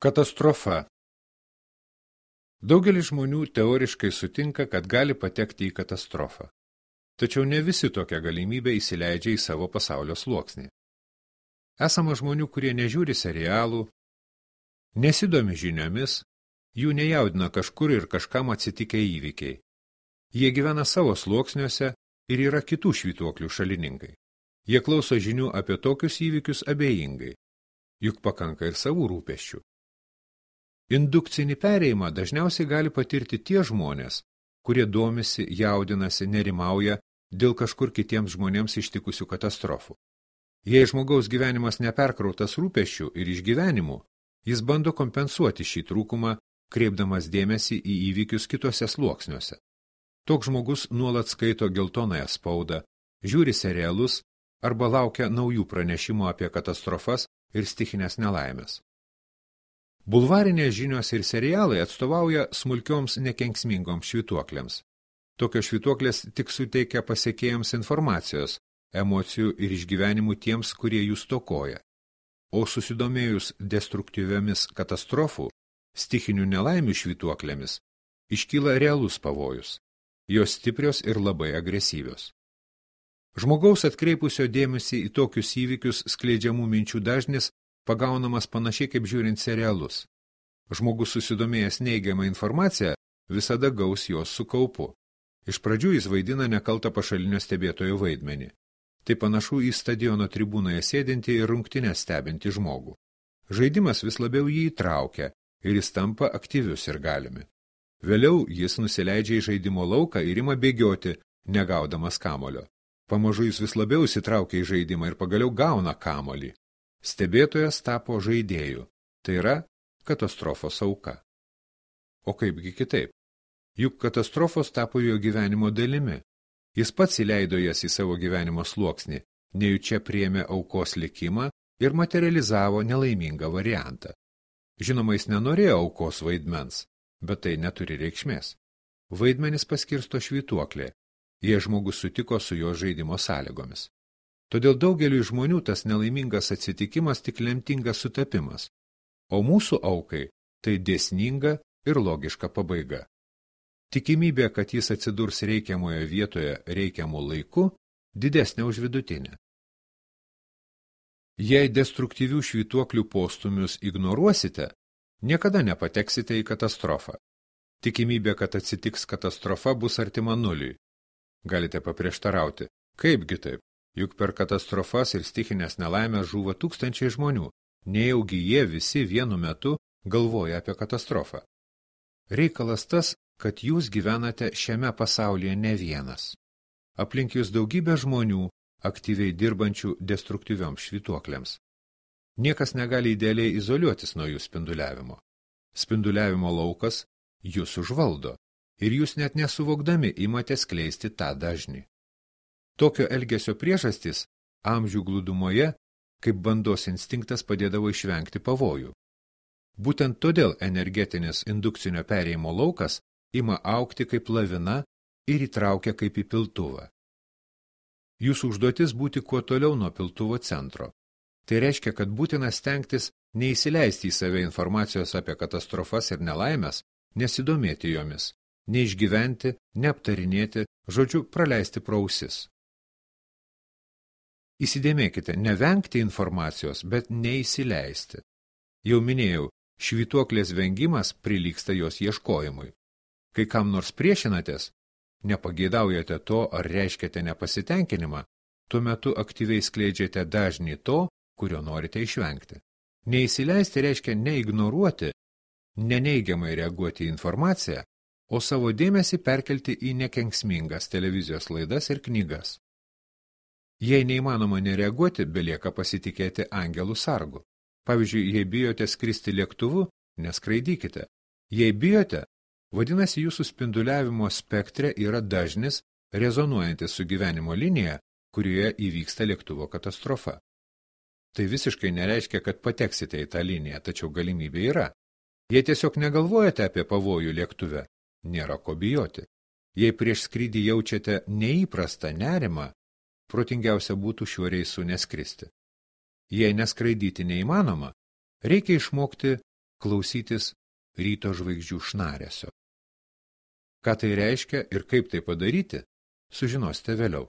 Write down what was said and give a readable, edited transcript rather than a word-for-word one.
Katastrofa. Daugelis žmonių teoriškai sutinka, kad gali patekti į katastrofą. Tačiau ne visi tokią galimybę įsileidžia į savo pasaulio sluoksnį. Esama žmonių, kurie nežiūri serialų, nesidomi žiniomis, jų nejaudina kažkur ir kažkam atsitikę įvykiai. Jie gyvena savo sluoksniuose ir yra kitų švytuoklių šalininkai. Jie klauso žinių apie tokius įvykius abejingai, juk pakanka ir savų rūpesčių. Indukcinį perėjimą dažniausiai gali patirti tie žmonės, kurie domisi, jaudinasi, nerimauja dėl kažkur kitiems žmonėms ištikusių katastrofų. Jei žmogaus gyvenimas neperkrautas rūpesčių ir išgyvenimų, jis bando kompensuoti šį trūkumą, kreipdamas dėmesį į įvykius kitose sluoksniuose. Toks žmogus nuolat skaito geltonąją spaudą, žiūri serialus arba laukia naujų pranešimų apie katastrofas ir stichinės nelaimės. Bulvarinės žinios ir serialai atstovauja smulkioms nekenksmingoms švytuoklėms. Tokios švytuoklės tik suteikia pasekėjams informacijos, emocijų ir išgyvenimų tiems, kurie jų stokoja. O susidomėjus destruktyviomis katastrofų, stichinių nelaimių švytuoklėmis, iškyla realus pavojus. Jos stiprios ir labai agresyvios. Žmogaus atkreipusio dėmesį į tokius įvykius skleidžiamų minčių dažnis pagaunamas panašiai kaip žiūrint serialus. Žmogus susidomėjęs neigiamą informaciją visada gaus jos su kaupu. Iš pradžių jis vaidina nekaltą pašalinio stebėtojo vaidmenį. Tai panašu į stadiono tribūnoje sėdintį ir rungtynes stebintį žmogų. Žaidimas vis labiau jį įtraukia ir jis tampa aktyvius ir galimi. Vėliau jis nusileidžia į žaidimo lauką ir ima bėgioti, negaudamas kamolio. Pamažu jis vis labiau įsitraukia į žaidimą ir pagaliau gauna kamolį. Stebėtojas tapo žaidėju, tai yra katastrofos auka. O kaipgi kitaip? Juk katastrofos tapo jo gyvenimo dalimi. Jis pats įleido jas į savo gyvenimo sluoksnį, nejučia priėmė aukos likimą ir materializavo nelaimingą variantą. Žinoma, jis nenorėjo aukos vaidmens, bet tai neturi reikšmės. Vaidmenis paskirsto švytuoklė, jei žmogus sutiko su jo žaidimo sąlygomis. Todėl daugeliui žmonių tas nelaimingas atsitikimas tik lemtingas sutapimas, o mūsų aukai tai dėsninga ir logiška pabaiga. Tikimybė, kad jis atsidurs reikiamoje vietoje reikiamų laiku, didesnė už vidutinę. Jei destruktyvių švytuoklių postumius ignoruosite, niekada nepateksite į katastrofą. Tikimybė, kad atsitiks katastrofa, bus artima nuliui. Galite paprieštarauti, kaipgi taip? Juk per katastrofas ir stichinės nelaimės žūva tūkstančiai žmonių, nejaugi jie visi vienu metu galvoja apie katastrofą. Reikalas tas, kad jūs gyvenate šiame pasaulyje ne vienas. Aplink jūs daugybė žmonių, aktyviai dirbančių destruktyvioms švytuoklėms. Niekas negali idealiai izoliuotis nuo jų spinduliavimo. Spinduliavimo laukas jūs užvaldo ir jūs net nesuvokdami imate skleisti tą dažnį. Tokio elgesio priežastys amžių glūdumoje, kaip bandos instinktas padėdavo išvengti pavojų. Būtent todėl energetinis indukcinio perėjimo laukas ima augti kaip lavina ir įtraukia kaip į piltuvą. Jūsų užduotis būti kuo toliau nuo piltuvo centro. Tai reiškia, kad būtina stengtis neįsileisti į save informacijos apie katastrofas ir nelaimės, nesidomėti jomis, neišgyventi, neaptarinėti, žodžiu, praleisti pro ausis. Įsidėmėkite, nevengti informacijos, bet neįsileisti. Jau minėjau, švytuoklės vengimas prilygsta jos ieškojimui. Kai kam nors priešinatės, nepageidaujate to ar reiškiate nepasitenkinimą, tuo metu aktyviai skleidžiate dažnį to, kurio norite išvengti. Neįsileisti reiškia neignoruoti, neneigiamai reaguoti į informaciją, o savo dėmesį perkelti į nekenksmingas televizijos laidas ir knygas. Jei neįmanoma nereaguoti, belieka pasitikėti angelų sargu. Pavyzdžiui, jei bijote skristi lėktuvu, neskraidykite. Jei bijote, vadinasi jūsų spinduliavimo spektre yra dažnis, rezonuojantis su gyvenimo linija, kurioje įvyksta lėktuvo katastrofa. Tai visiškai nereiškia, kad pateksite į tą liniją, tačiau galimybė yra. Jei tiesiog negalvojate apie pavojų lėktuve, nėra ko bijoti. Jei prieš skrydį jaučiate neįprastą nerimą, protingiausia būtų šiuo reisu neskristi. Jei neskraidyti neįmanoma, reikia išmokti klausytis ryto žvaigždžių šnaresio. Ką tai reiškia ir kaip tai padaryti, sužinosite vėliau.